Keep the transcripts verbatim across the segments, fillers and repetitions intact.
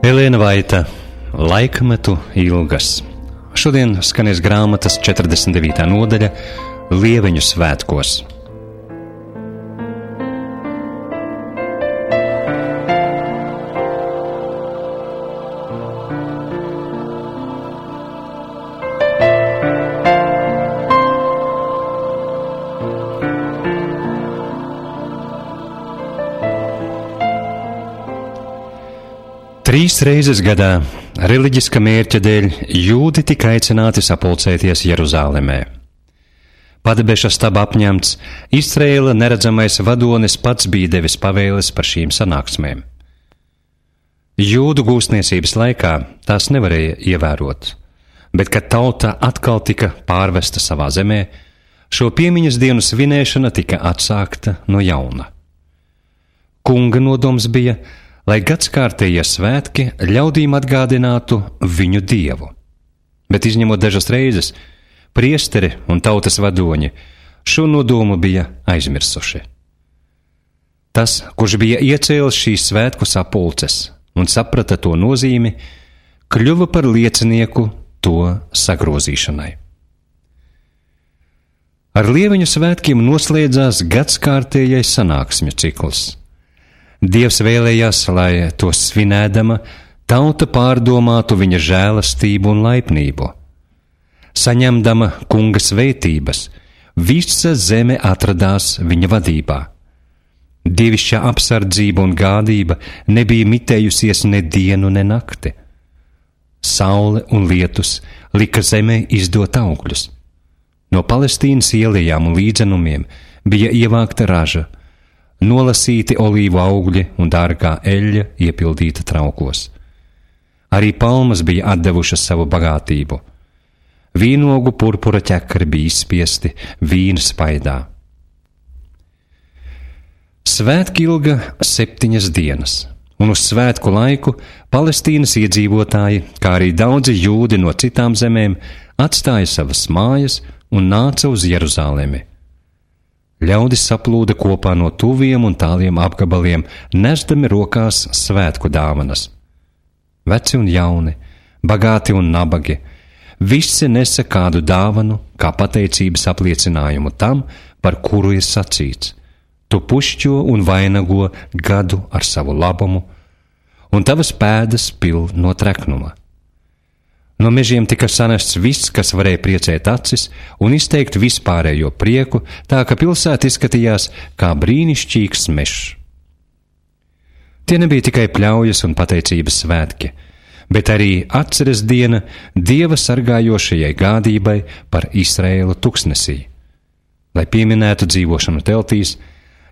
Elēna Vaita, Laikmetu ilgas. Šodien skanēs grāmatas četrdesmit devītā nodaļa Lieveņu svētkos. Trīs reizes gadā, reliģiska mērķa dēļ, jūdi tika aicināti sapulcēties Jeruzālemē. Padebeša staba apņemts, Izraēla neredzamais vadonis pats bija devis pavēles par šīm sanāksmēm. Jūdu gūstniecības laikā tās nevarēja ievērot, bet, kad tauta atkal tika pārvesta savā zemē, šo piemiņas dienu svinēšana tika atsākta no jauna. Kunga nodoms bija, lai gadskārtējie svētki ļaudīm atgādinātu viņu dievu. Bet izņemot dažas reizes, priesteri un tautas vadoņi šo nodomu bija aizmirsuši. Tas, kurš bija iecēlis šīs svētku sapulces un saprata to nozīmi, kļuva par liecinieku to sagrozīšanai. Ar Lieveņu svētkiem noslēdzās gadskārtējais sanāksmju cikls. Dievs vēlējās, lai to svinēdama, tauta pārdomātu viņa žēlastību un laipnību. Saņemdama kunga svētības, visa zeme atradās viņa vadībā. Dievišķā apsardzība un gādība nebija mitējusies ne dienu, ne nakti. Saule un lietus lika zemē izdot augļus. No Palestīnas ielejām un līdzenumiem bija ievākta raža, nolasīti olīvu augļi un dārgā eļļa iepildīta traukos. Arī palmas bija atdevušas savu bagātību. Vīnogu purpura ķekari bija izspiesti vīna spaidā. Svētki ilga septiņas dienas, un uz svētku laiku Palestīnas iedzīvotāji, kā arī daudzi jūdi no citām zemēm, atstāja savas mājas un nāca uz Jeruzālemi. Ļaudis saplūda kopā no tuviem un tāliem apgabaliem, nesdami rokās svētku dāvanas. Veci un jauni, bagāti un nabagi, visi nesa kādu dāvanu, kā pateicības apliecinājumu tam, par kuru ir sacīts: tu pušķo un vainago gadu ar savu labumu, un tavas pēdas pil no treknuma. No mežiem tika sanests viss, kas varēja priecēt acis un izteikt vispārējo prieku, tā ka pilsēta izskatījās kā brīnišķīgs mežs. Tie nebija tikai pļaujas un pateicības svētki, bet arī atceres diena Dieva sargājošajai gādībai par Izraēlu tuksnesī. Lai pieminētu dzīvošanu teltīs,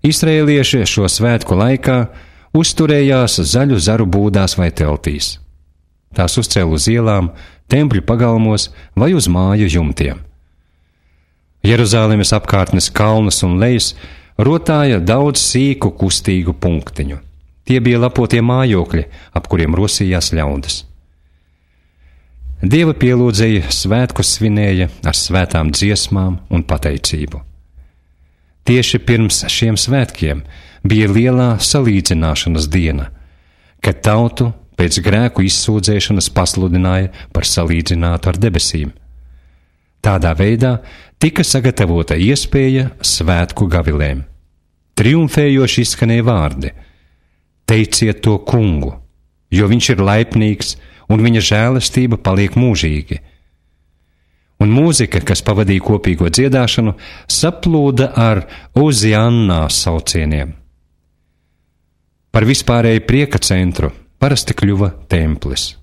izraēlieši šo svētku laikā uzturējās zaļu zaru būdās vai teltīs. Tās uzcēla uz ielām, tempļu pagalmos vai uz māju jumtiem. Jeruzālemes apkārtnes kalnus un lejas rotāja daudz sīku kustīgu punktiņu. Tie bija lapotie mājokļi, ap kuriem rosījās ļaudis. Dieva pielūdzēji svētkus svinēja ar svētām dziesmām un pateicību. Tieši pirms šiem svētkiem bija lielā salīdzināšanas diena, kad tautu pēc grēku izsūdzēšanas pasludināja par salīdzinātu ar debesīm. Tādā veidā tika sagatavota iespēja svētku gavilēm. Triumfējoši izskanēja vārdi: teiciet to kungu, jo viņš ir laipnīgs un viņa žēlastība paliek mūžīgi. Un mūzika, kas pavadīja kopīgo dziedāšanu, saplūda ar Oziannā saucieniem. Par vispārēju prieka centru parasti kļuva templis.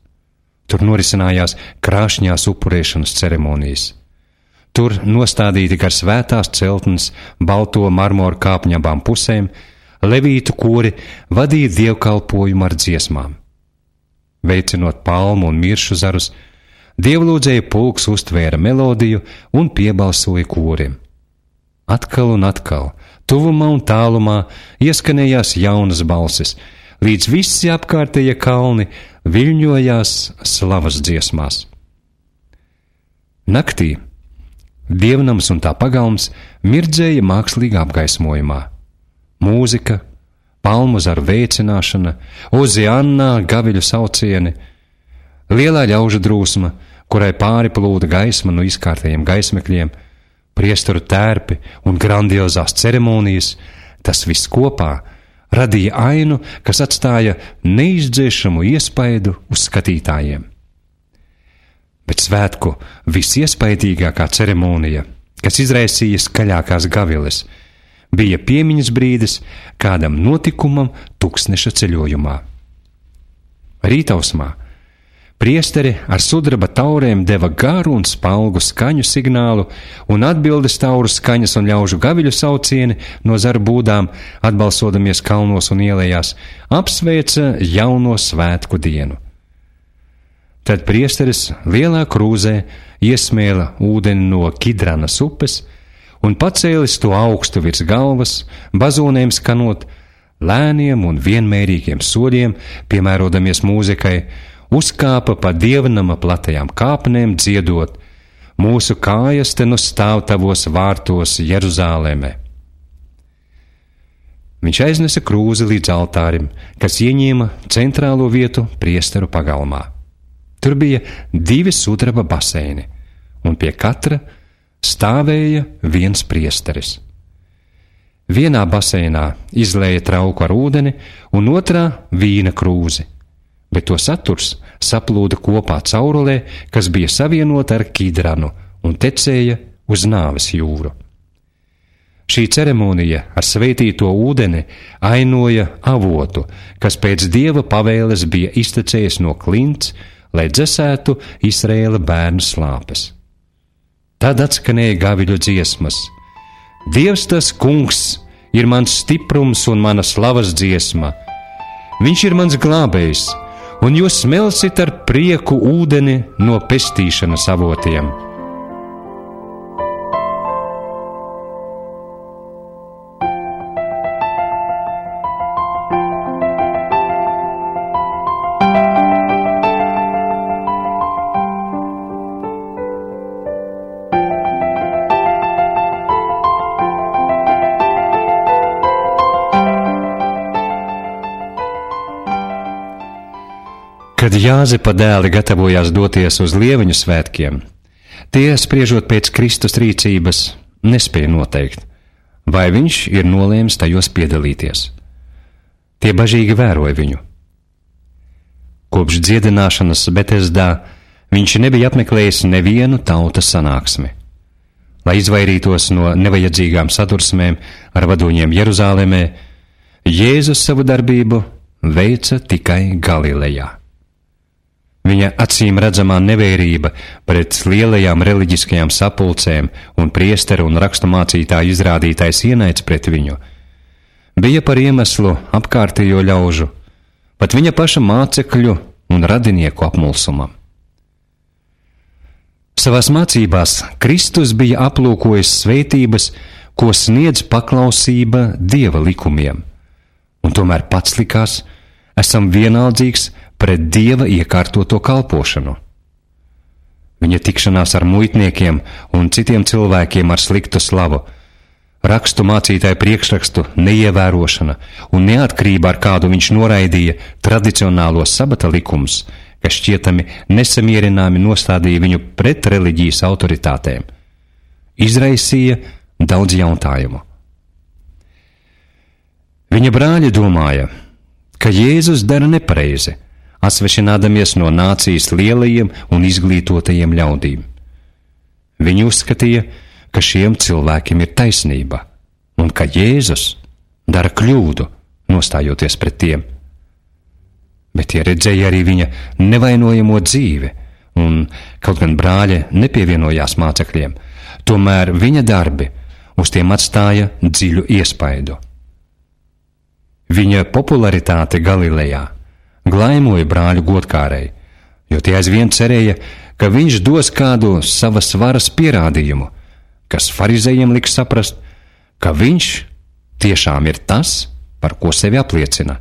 Tur norisinājās krāšņās upurēšanas ceremonijas. Tur nostādīti gar svētās celtnes balto marmoru kāpņu abām pusēm, levītu kori vadīja dievkalpojumu ar dziesmām. Veicinot palmu un miršu zarus, dievlūdzēja pulks uztvēra melodiju un piebalsoja koriem. Atkal un atkal, tuvumā un tālumā ieskanējās jaunas balsis, līdz visi apkārtējie kalni viļņojās slavas dziesmās. Naktī dievnams un tā pagalms mirdzēja mākslīgā apgaismojumā. Mūzika, palmu zaru veicināšana, oziannā gaviļu saucieni, lielā ļaužu drūsma, kurai pāri plūda gaisma no izkārtējiem gaismekļiem, priesteru tērpi un grandiozās ceremonijas, tas viss kopā radīja ainu, kas atstāja neizdzēšamu iespaidu uz skatītājiem. Bet svētku visiespaidīgākā ceremonija, kas izraisīja skaļākās gaviles, bija piemiņas brīdis kādam notikumam tuksneša ceļojumā. Rītausmā priesteri ar sudraba taurēm deva garu un spalgu skaņu signālu, un atbildes tauru skaņas un ļaužu gaviļu saucieni no zaru būdām, atbalsodamies kalnos un ielējās, apsveica jauno svētku dienu. Tad priesteris lielā krūzē iesmēla ūdeni no Kidranas upes un pacēlis to augstu virs galvas, bazonēm skanot, lēniem un vienmērīgiem soļiem, piemērodamies mūzikai, uzkāpa pa dievnama platajām kāpnēm dziedot: mūsu kājas te nu stāv tavos vārtos Jeruzālēmē. Viņš aiznesa krūzi līdz altārim, kas ieņēma centrālo vietu priesteru pagalmā. Tur bija divi sudraba baseini, un pie katra stāvēja viens priesteris. Vienā baseinā izlēja trauku ar ūdeni, un otrā vīna krūzi, bet to saturs saplūda kopā caurulē, kas bija savienota ar Kidranu un tecēja uz nāves jūru. Šī ceremonija ar svētīto ūdeni ainoja avotu, kas pēc dieva pavēles bija iztecējis no klints, lai dzesētu Izraēla bērnu slāpes. Tad atskanēja gaviļu dziesmas: Dievs tas kungs ir mans stiprums un mana slavas dziesma. Viņš ir mans glābējs, un jūs smelsit ar prieku ūdeni no pestīšanas avotiem. Kad Jāzepa dēli gatavojās doties uz Lieviņu svētkiem, tie, spriežot pēc Kristus rīcības, nespēja noteikt, vai viņš ir nolēmis tajos piedalīties. Tie bažīgi vēroja viņu. Kopš dziedināšanas Betesdā viņš nebija apmeklējis nevienu tautas sanāksmi. Lai izvairītos no nevajadzīgām sadursmēm ar vadoņiem Jeruzālēmē, Jēzus savu darbību veica tikai Galilejā. Viņa acīm redzamā nevērība pret lielajām reliģiskajām sapulcēm un priesteru un raksturmācītāju izrādītais ienaids pret viņu bija par iemeslu apkārtējo ļaužu, pat viņa paša mācekļu un radinieku apmulsumam. Savās mācībās Kristus bija aplūkojis svētības, ko sniedz paklausība Dieva likumiem, un tomēr pats likās, esam vienaldzīgs pret Dieva iekārtoto kalpošanu. Viņa tikšanās ar muitniekiem un citiem cilvēkiem ar sliktu slavu, rakstu mācītāju priekšrakstu neievērošana un neatkarība, ar kādu viņš noraidīja tradicionālos sabata likumus, kas šķietami nesamierināmi nostādīja viņu pret reliģijas autoritātēm, izraisīja daudz jautājumu. Viņa brāļi domāja, ka Jēzus dara nepareizi, asvešinādamies no nācijas lielajiem un izglītotajiem ļaudīm. Viņi uzskatīja, ka šiem cilvēkiem ir taisnība, un ka Jēzus dara kļūdu, nostājoties pret tiem. Bet tie redzēja arī viņa nevainojamo dzīvi, un kaut gan brāļi nepievienojās mācekļiem, tomēr viņa darbi uz tiem atstāja dziļu iespaidu. Viņa popularitāte Galilejā glaimoja brāļu godkārēji, jo tie aizvien cerēja, ka viņš dos kādu savas varas pierādījumu, kas farizējiem liks saprast, ka viņš tiešām ir tas, par ko sevi apliecina.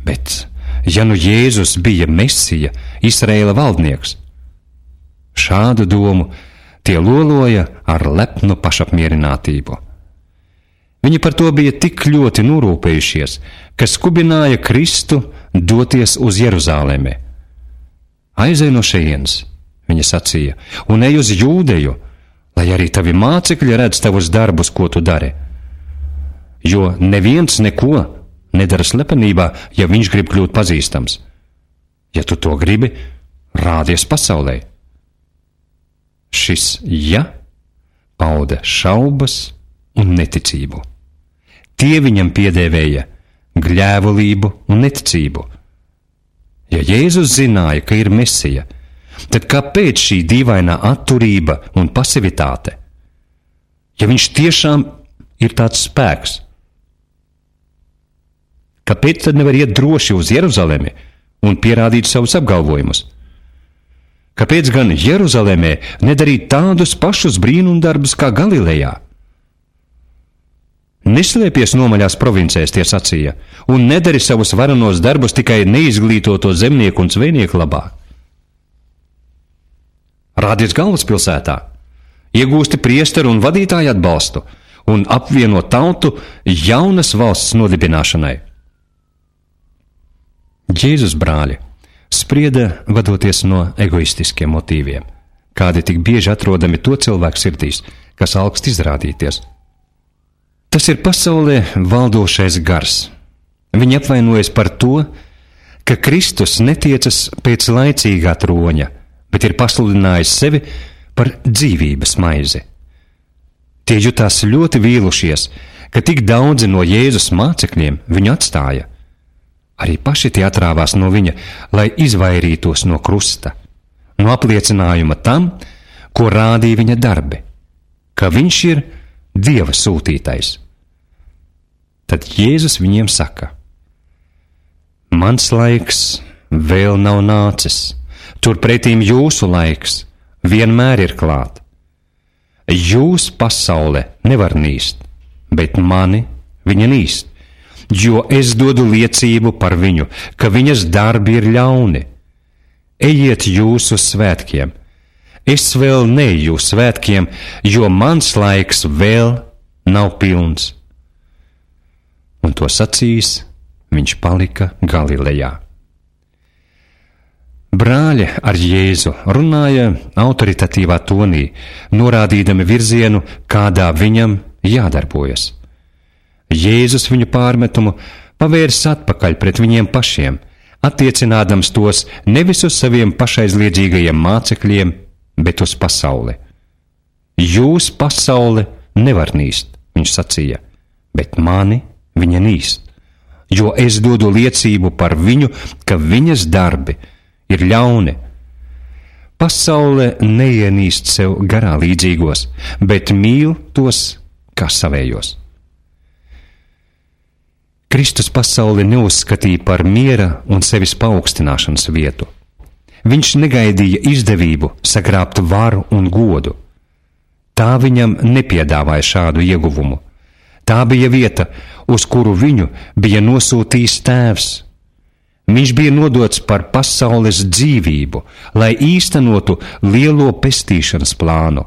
Bet, ja nu Jēzus bija Mesija, Izraēla valdnieks, šādu domu tie loloja ar lepnu pašapmierinātību. Viņi par to bija tik ļoti norūpējušies, ka skubināja Kristu doties uz Jeruzalemi. Aizej no šejienes, viņa sacīja, un ej uz Jūdeju, lai arī tavi mācekļi redz tavus darbus, ko tu dari. Jo neviens neko nedara slepenībā, ja viņš grib kļūt pazīstams. Ja tu to gribi, rādies pasaulē. Šis ja pauda šaubas un neticību. Tie viņam piedēvēja gļēvulību un neticību. Ja Jēzus zināja, ka ir Mesija, tad kāpēc šī dīvainā atturība un pasivitāte? Ja viņš tiešām ir tāds spēks, kāpēc tad nevar iet droši uz Jeruzalemi un pierādīt savus apgalvojumus? Kāpēc gan Jeruzalemē nedarīt tādus pašus brīnumdarbus kā Galilejā? Neslēpies nomaļās provincēs, tie sacīja, un nedari savus varenos darbus tikai neizglītoto zemnieku un zvejnieku labā. Rādies galvaspilsētā, iegūsti priesteru un vadītāju atbalstu un apvieno tautu jaunas valsts nodibināšanai. Jēzus brāļi sprieda vadoties no egoistiskiem motīviem, kādi tik bieži atrodami to cilvēku sirdīs, kas alkst izrādīties. Tas ir pasaulē valdošais gars. Viņi apvainojas par to, ka Kristus netiecas pēc laicīgā troņa, bet ir pasludinājis sevi par dzīvības maizi. Tie jutās ļoti vīlušies, ka tik daudzi no Jēzus mācekļiem viņu atstāja. Arī paši tie atrāvās no viņa, lai izvairītos no krusta, no apliecinājuma tam, ko rādīja viņa darbi, ka viņš ir Dieva sūtītais. Tad Jēzus viņiem saka: Mans laiks vēl nav nācis, turpretīm jūsu laiks vienmēr ir klāt. Jūs pasaule nevar nīst, bet mani viņa nīst, jo es dodu liecību par viņu, ka viņas darbi ir ļauni. Ejiet jūs uz svētkiem. Es vēl neeju uz svētkiem, jo mans laiks vēl nav pilns. Un to sacījis, viņš palika Galilejā. Brāļi ar Jēzu runāja autoritatīvā tonī, norādīdami virzienu, kādā viņam jādarbojas. Jēzus viņu pārmetumu pavērs atpakaļ pret viņiem pašiem, attiecinādams tos nevis uz saviem pašaizliedzīgajiem mācekļiem, bet uz pasauli. Jūs pasaule nevar nīst, viņš sacīja, bet mani viņa nīst, jo es dodu liecību par viņu, ka viņas darbi ir ļauni. Pasaule neienīst sev garā līdzīgos, bet mīl tos kā savējos. Kristus pasauli neuzskatīja par miera un sevis paaugstināšanas vietu. Viņš negaidīja izdevību sagrābt varu un godu. Tā viņam nepiedāvāja šādu ieguvumu. Tā bija vieta, uz kuru viņu bija nosūtījis Tēvs. Viņš bija nodots par pasaules dzīvību, lai īstenotu lielo pestīšanas plānu.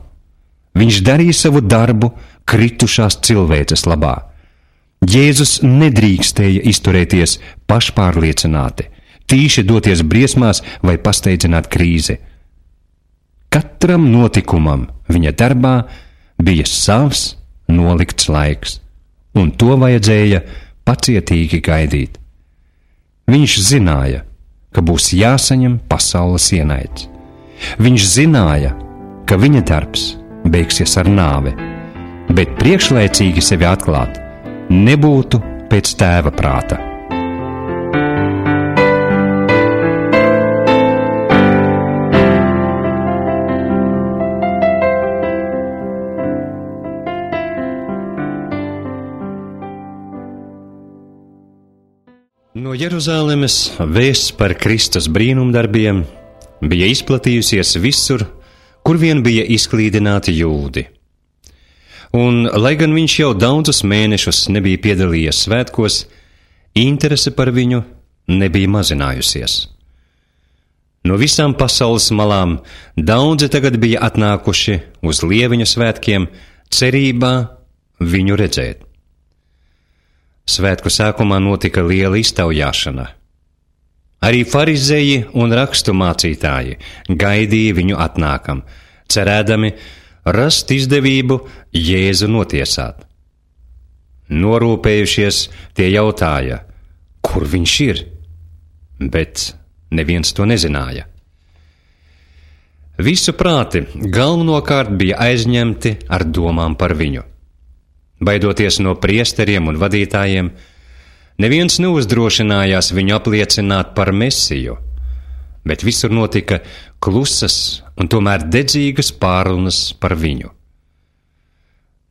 Viņš darīja savu darbu kritušās cilvēces labā. Jēzus nedrīkstēja izturēties pašpārliecināti, tīši doties briesmās vai pasteidzināt krīzi. Katram notikumam viņa darbā bija savs nolikts laiks, un to vajadzēja pacietīgi gaidīt. Viņš zināja, ka būs jāsaņem pasaules ienaids. Viņš zināja, ka viņa darbs beigsies ar nāvi, bet priekšlaicīgi sevi atklāt nebūtu pēc Tēva prāta. No Jeruzalemes vēsts par Kristus brīnumdarbiem bija izplatījusies visur, kur vien bija izklīdināti jūdi. Un, lai gan viņš jau daudzus mēnešus nebija piedalījies svētkos, interese par viņu nebija mazinājusies. No visām pasaules malām daudzi tagad bija atnākuši uz Lieviņu svētkiem, cerībā viņu redzēt. Svētku sākumā notika liela iztaujāšana. Arī farizēji un rakstu mācītāji gaidīja viņu atnākam, cerēdami rast izdevību Jēzu notiesāt. Norūpējušies, tie jautāja, kur viņš ir, bet neviens to nezināja. Visu prāti galvenokārt bija aizņemti ar domām par viņu. Baidoties no priesteriem un vadītājiem, neviens neuzdrošinājās viņu apliecināt par Mesiju, bet visur notika klusas un tomēr dedzīgas pārunas par viņu.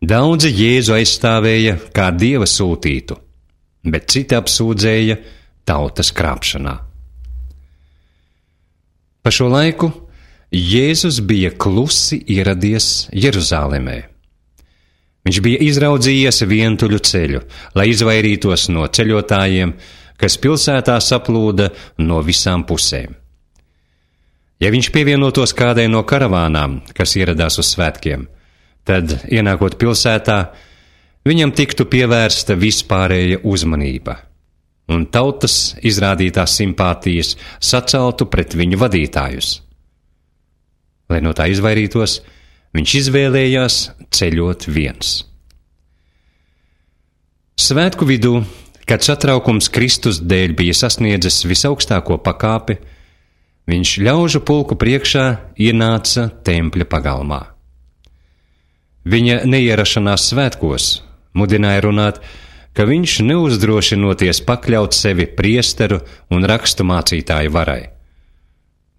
Daudzi Jēzu aizstāvēja kā Dieva sūtītu, bet citi apsūdzēja tautas krāpšanā. Pa šo laiku Jēzus bija klusi ieradies Jeruzālemē. Viņš bija izraudzījies vientuļu ceļu, lai izvairītos no ceļotājiem, kas pilsētā saplūda no visām pusēm. Ja viņš pievienotos kādai no karavānām, kas ieradās uz svētkiem, tad, ienākot pilsētā, viņam tiktu pievērsta vispārēja uzmanība, un tautas izrādītās simpātijas saceltu pret viņu vadītājus. Lai no tā izvairītos, viņš izvēlējās ceļot viens. Svētku vidū, kad satraukums Kristus dēļ bija sasniedzis visaugstāko pakāpi, viņš ļaužu pulku priekšā ienāca tempļa pagalmā. Viņa neierašanās svētkos mudināja runāt, ka viņš neuzdrošinoties pakļaut sevi priesteru un rakstu mācītāju varai.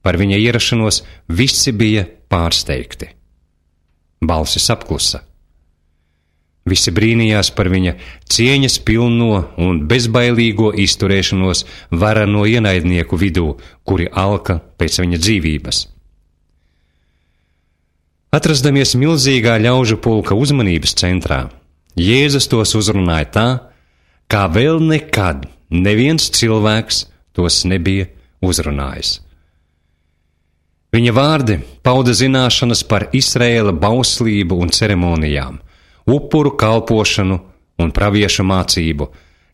Par viņa ierašanos visi bija pārsteigti. Balsis apklusa. Visi brīnījās par viņa cieņas pilno un bezbailīgo izturēšanos varano ienaidnieku vidū, kuri alka pēc viņa dzīvības. Atrasdamies milzīgā ļaužu pulka uzmanības centrā, Jēzus tos uzrunāja tā, kā vēl nekad neviens cilvēks tos nebija uzrunājis. Viņa vārdi pauda zināšanas par Izraēla bauslību un ceremonijām, upuru kalpošanu un praviešu mācību,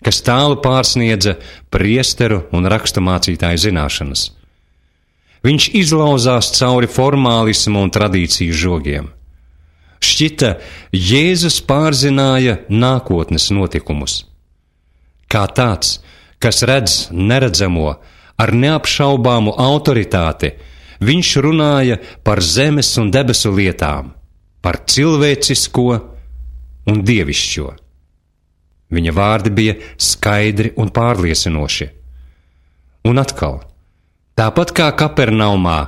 kas tālu pārsniedza priesteru un rakstu mācītāju zināšanas. Viņš izlauzās cauri formālismu un tradīciju žogiem. Šķita, Jēzus pārzināja nākotnes notikumus. Kā tāds, kas redz neredzamo ar neapšaubāmu autoritāti, viņš runāja par zemes un debesu lietām, par cilvēcisko un dievišķo. Viņa vārdi bija skaidri un pārliecinoši. Un atkal, tāpat kā Kapernaumā,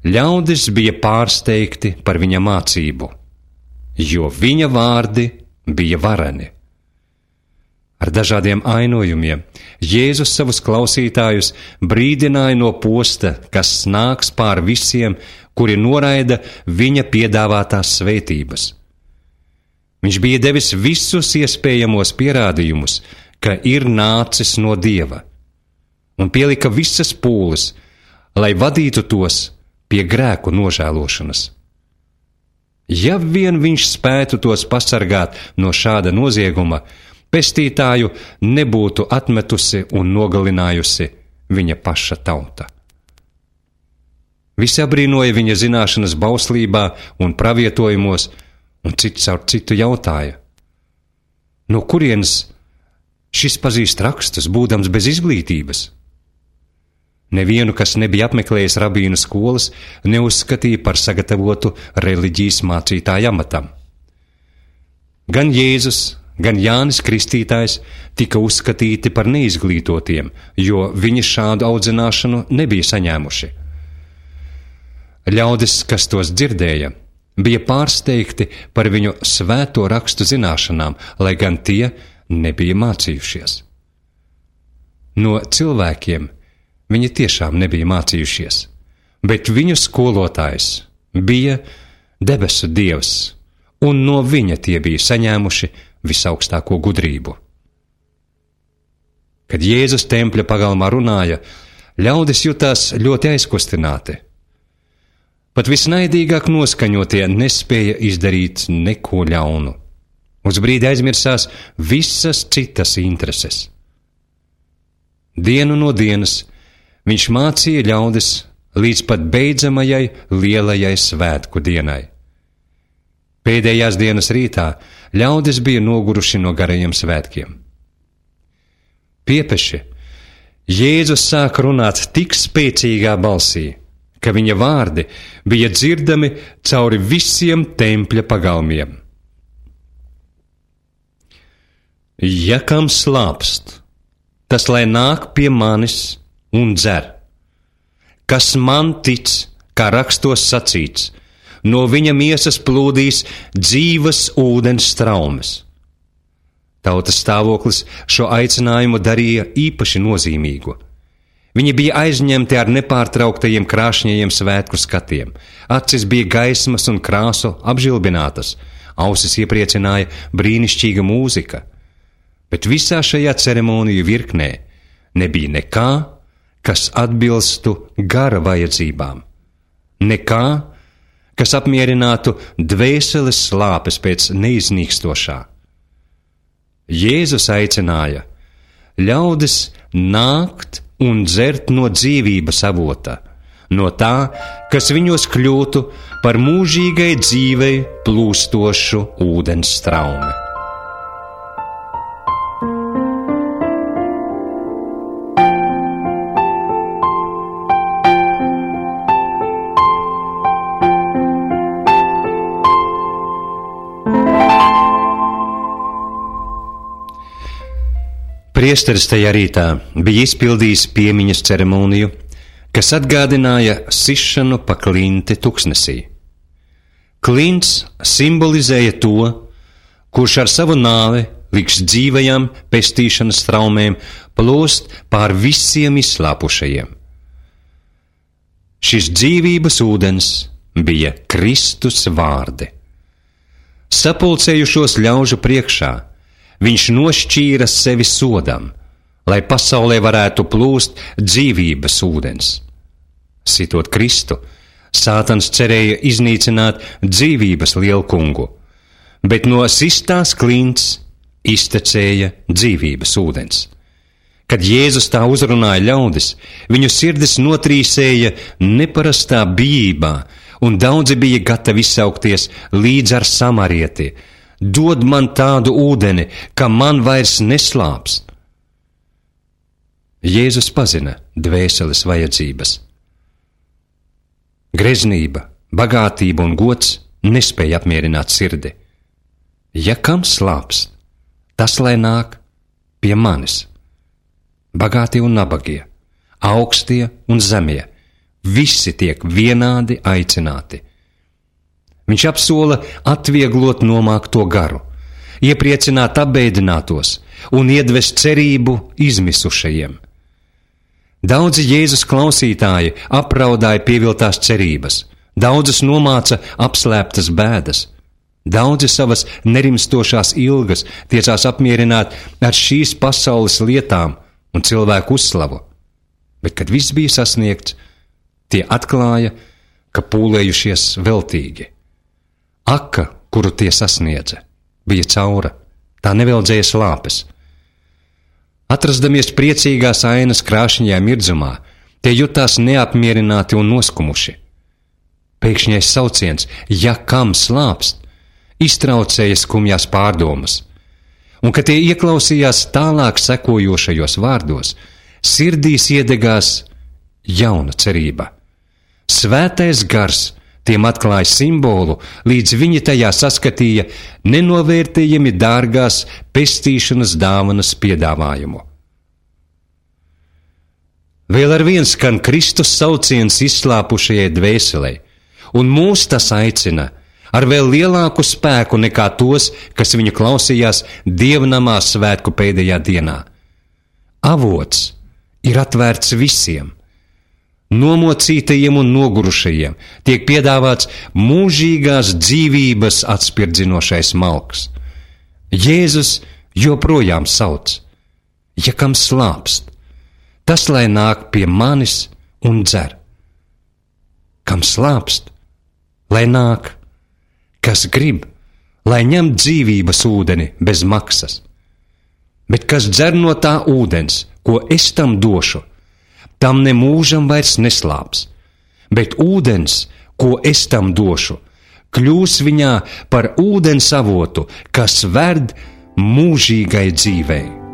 ļaudis bija pārsteigti par viņa mācību, jo viņa vārdi bija vareni. Ar dažādiem ainojumiem Jēzus savus klausītājus brīdināja no posta, kas nāks pār visiem, kuri noraida viņa piedāvātās svētības. Viņš bija devis visus iespējamos pierādījumus, ka ir nācis no Dieva, un pielika visas pūles, lai vadītu tos pie grēku nožēlošanas. Ja vien viņš spētu tos pasargāt no šāda nozieguma, pestītāju nebūtu atmetusi un nogalinājusi viņa paša tauta. Visi abrīnoja viņa zināšanas bauslībā un pravietojumos, un cits caur citu jautāja: no kurienes šis pazīst rakstus, būdams bez izglītības? Nevienu, kas nebija apmeklējis rabīnu skolas, neuzskatīja par sagatavotu reliģijas mācītāju amatam. Gan Jēzus, gan Jānis Kristītājs tika uzskatīti par neizglītotiem, jo viņi šādu audzināšanu nebija saņēmuši. Ļaudis, kas tos dzirdēja, bija pārsteigti par viņu svēto rakstu zināšanām, lai gan tie nebija mācījušies. No cilvēkiem viņi tiešām nebija mācījušies, bet viņu skolotājs bija debesu Dievs, un no viņa tie bija saņēmuši visaugstāko gudrību. Kad Jēzus tempļa pagalmā runāja, ļaudis jutās ļoti aizkustināti. Pat visnaidīgāk noskaņotie nespēja izdarīt neko ļaunu, Uz brīdi aizmirsās visas citas intereses. Dienu no dienas viņš mācīja ļaudis līdz pat beidzamajai lielajai svētku dienai. Pēdējās dienas rītā ļaudis bija noguruši no garajiem svētkiem. Piepeši, Jēzus sāka runāt tik spēcīgā balsī, ka viņa vārdi bija dzirdami cauri visiem tempļa pagalmiem. Ja kam slāpst, tas lai nāk pie manis un dzer. Kas man tic, kā rakstos sacīts, no viņa miesas plūdīs dzīvas ūdens straumes. Tautas stāvoklis šo aicinājumu darīja īpaši nozīmīgu. Viņi bija aizņemti ar nepārtrauktajiem krāšņajiem svētku skatiem, acis bija gaismas un krāsu apžilbinātas, ausis iepriecināja brīnišķīga mūzika, bet visā šajā ceremoniju virknē nebija nekā, kas atbilstu gara vajadzībām, nekā, kas apmierinātu dvēseles slāpes pēc neiznīkstošā. Jēzus aicināja ļaudis nākt un dzert no dzīvības avota, no tā, kas viņos kļūtu par mūžīgai dzīvei plūstošu ūdens straumi. Priesteris tajā rītā bija izpildījis piemiņas ceremoniju, kas atgādināja sišanu pa klinti tuksnesī. Klints simbolizēja to, kurš ar savu nāvi liks dzīvajām pestīšanas traumēm plūst pār visiem izslāpušajiem. Šis dzīvības ūdens bija Kristus vārdi. Sapulcējušos ļaužu priekšā viņš nošķīra sevi sodam, lai pasaulē varētu plūst dzīvības ūdens. Sitot Kristu, Sātans cerēja iznīcināt dzīvības lielkungu, bet no sistās klints iztecēja dzīvības ūdens. Kad Jēzus tā uzrunāja ļaudis, viņu sirdis notrīsēja neparastā bijībā, un daudzi bija gatavi izsaukties līdz ar samarieti: dod man tādu ūdeni, ka man vairs neslāpst. Jēzus pazina dvēseles vajadzības. Greznība, bagātība un gods nespēja apmierināt sirdi. Ja kam slāpst, tas lai nāk pie manis. Bagātie un nabagie, augstie un zemie, visi tiek vienādi aicināti. Viņš apsola atvieglot nomākto garu, iepriecināt apbēdinātos un iedvest cerību izmisušajiem. Daudzi Jēzus klausītāji apraudāja pieviltās cerības, daudzus nomāca apslēptas bēdas, daudzi savas nerimstošās ilgas tiecās apmierināt ar šīs pasaules lietām un cilvēku uzslavu, bet, kad viss bija sasniegts, tie atklāja, ka pūlējušies veltīgi. Aka, kuru tie sasniedza, bija caura, tā neveldzēja slāpes. Atrasdamies priecīgās ainas krāšņajā mirdzumā, tie jutās neapmierināti un noskumuši. Pēkšņais sauciens, ja kam slāpst, iztraucēja skumjās pārdomas, un, kad tie ieklausījās tālāk sekojošajos vārdos, sirdīs iedegās jauna cerība. Svētais gars tiem atklāja simbolu, līdz viņi tajā saskatīja nenovērtējami dārgās pestīšanas dāvanas piedāvājumu. Vēl ar vien skan Kristus sauciens izslāpušajai dvēselei, un mūs tas aicina ar vēl lielāku spēku nekā tos, kas viņu klausījās dievnamā svētku pēdējā dienā. Avots ir atvērts visiem. Nomocītajiem un nogurušajiem tiek piedāvāts mūžīgās dzīvības atspirdzinošais malks. Jēzus joprojām sauc: ja kam slāpst, tas lai nāk pie manis un dzer. Kam slāpst, lai nāk, kas grib, lai ņem dzīvības ūdeni bez maksas. Bet kas dzer no tā ūdens, ko es tam došu, tam ne mūžam vairs neslāps, bet ūdens, ko es tam došu, kļūs viņā par ūdens avotu, kas ved mūžīgai dzīvei.